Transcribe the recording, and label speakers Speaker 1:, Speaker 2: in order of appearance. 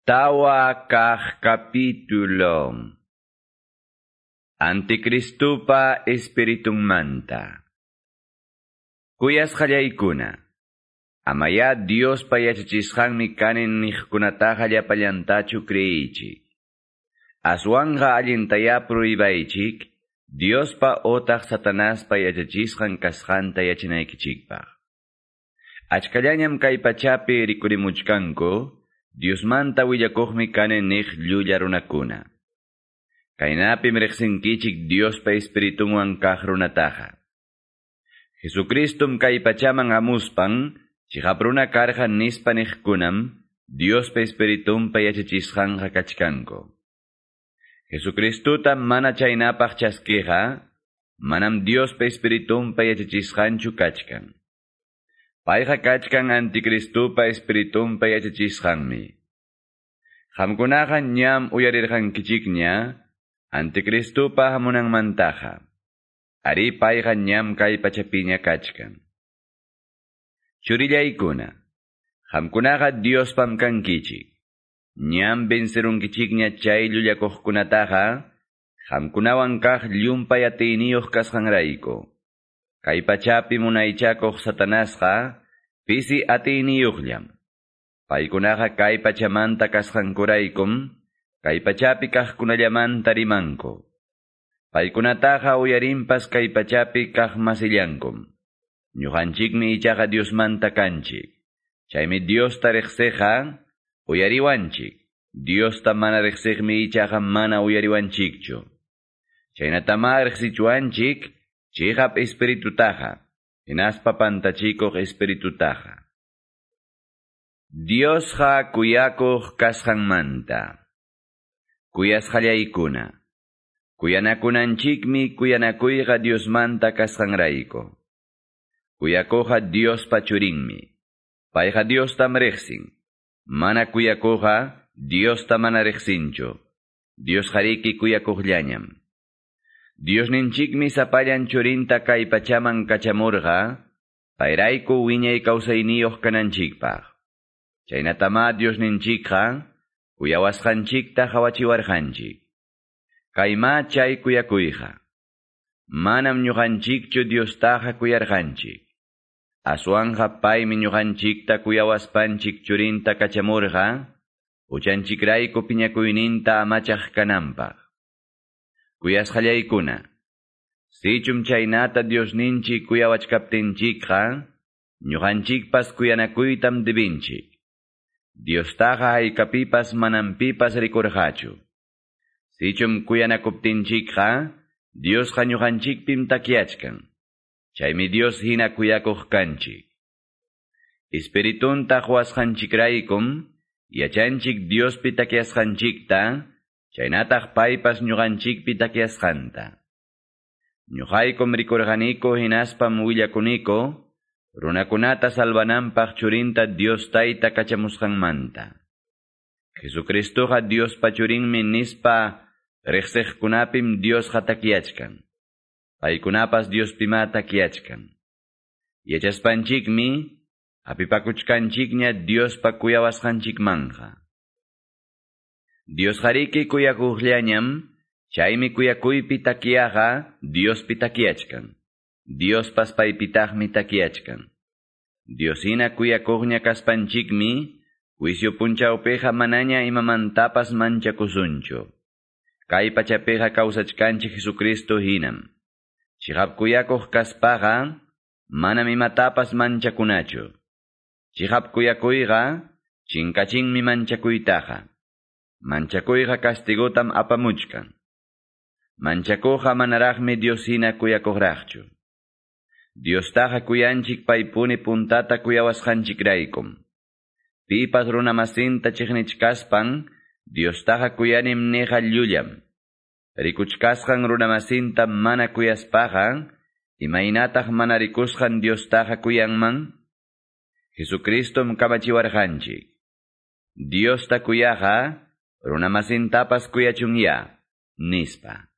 Speaker 1: Tawa kaq capítulo. Anticristupa espiritunmanta. Kuyasqallaykuna. Amaya Diospa yachachisqanmi kanin niqkunataqa llapallantachu creyichik. Aswanqa allintaya pruibaychik, Diospa otaq Satanaspa yachachisqan kasqanta yachanaykichikpaq. Achkallañam kay pachapi rikurimuchkanku, Diosmanta willakuqmi kani niq llulla runakuna. Kaynapim riqsinkichik Diospa espiritunwan kaq runataqa. Jesucristum kay pachaman hamuspan, chiqap runa karqa nispa niqkunam, Diospa espiritunpa yachachisqanqa kachkanku. Jesucristuta mana chaynapaq chaskiqa, manam Diospa espiritunpa yachachisqanchu kachkan. Payqa kachkan anticristupa espiritunpa yachachisqanmi. Qamkunaqa ñam uyarirqankichikña anticristupa hamunanmantaqa. Ari payqa ñam kay pachapiña kachkan. Churillaykuna, qamkunaqa Diospam kankichik. Ñam vencerunkichikña chay llullakuqkunataqa, qamkunawan kaq llumpay atiyniyuq kasqanrayku. Kay pachapi munaychakuq Satanasqa pisi atiyniyuqllam. Paykunaqa kay pachamanta kasqankuraykum, kay pachapi kaqkunallamanta rimanku. Paykunataqa uyarinpas kay pachapi kaq masillankum. Ñuqanchikmi ichaqa Diosmanta kanchik. Chaymi Diosta riqsiqqa uyariwanchik. Diosta mana riqsiqmi ichaqa mana uyariwanchikchu. Chaynatama riqsichuanchik chiqap espiritutaqa, hinaspa pantachikuq espiritutaqa. Diosqa kuyakuq kasqanmanta. Kuyasqallaykuna. Kuyanakunanchikmi kuyanakuyqa Diosmanta kasqanrayku. Kuyakuqqa Diospa churinmi. Payqa Diostam riqsin. Mana kuyakuqqa Diosta mana riqsinchu. Diosqariki kuyakuqllañam. Diosninchikmi sapallan churinta kay pachaman kachamurqa, payrayku wiñay kawsayniyuq kananchikpaq. Chaynatama Diosninchikqa kuyawasqanchikta hawachiwarqanchik. Kayma chay kuyakuyqa. Manam ñuqanchikchu Diostaqa kuyarqanchik. Aswanqa paymi ñuqanchikta kuyawaspanchik churinta kachamurqa, huchanchikrayku piñakuyninta amachaq kananpaq. Kuyasqallaykuna, sichum chaynata Diosninchik kuyawachkaptinchikqa, ñuqanchikpas kuyanakuytam debinchik. Diostaqa haykapipas manam pipas rikurqachu. Sichum kuyanakuptinchikqa, Diosqa ñuqanchikpim takyachkan. Chaymi Dios hina kuyakuq kanchik. Espiritunta quwasqanchikraykum, yachanchik Diospi takyasqanchikta, chaynataq paypas ñuqanchikpi takyasqanta. Ñuqaykum rikurqaniku hinaspam willakuniko, runakunata salvananpaq churinta Dios tayta kachamusqanmanta. Jesucristuqa Diospa churinmi nispa riqsiqkunapim Diosqa takyachkan. Paykunapas Diospima takyachkan. Yachaspanchikmi hapipakuchkanchikña Diospa kuyawasqanchikmanja. Diosqariki kuyakuqllañam, chaymi kuyakuypi takyaqa Diospi takyachkan. Diospas paypitaqmi takyachkan. Dioshina kuyakuqña kaspanchikmi, juicio punchawpiqa manaña imamantapas manchakusunchu. Kay pachapiqa kawsachkanchik Jesucristo hinam. Chiqap kuyakuq kaspaqa, manam imatapas manchakunachu. Chiqap kuyakuyqa, chinkachinmi manchakuytaqa. Manchakuyqa castigotam apamuchkan. Manchakuqqa manaraqmi Dios hina kuyakuqraqchu. Diostaqa kuyanchik paypuni puntata kuyawasqanchikraykum. Pipas runamasinta chiqnichkaspan, Diostaqa kuyanim niqa llullam. Rikuchkasqan runamasinta mana kuyaspaqa, imaynataq mana rikusqan Diostaqa kuyanman? Jesucristum kamachiwarqanchik. Diosta kuyaqa, runamasintapas kuyachunya, nispa.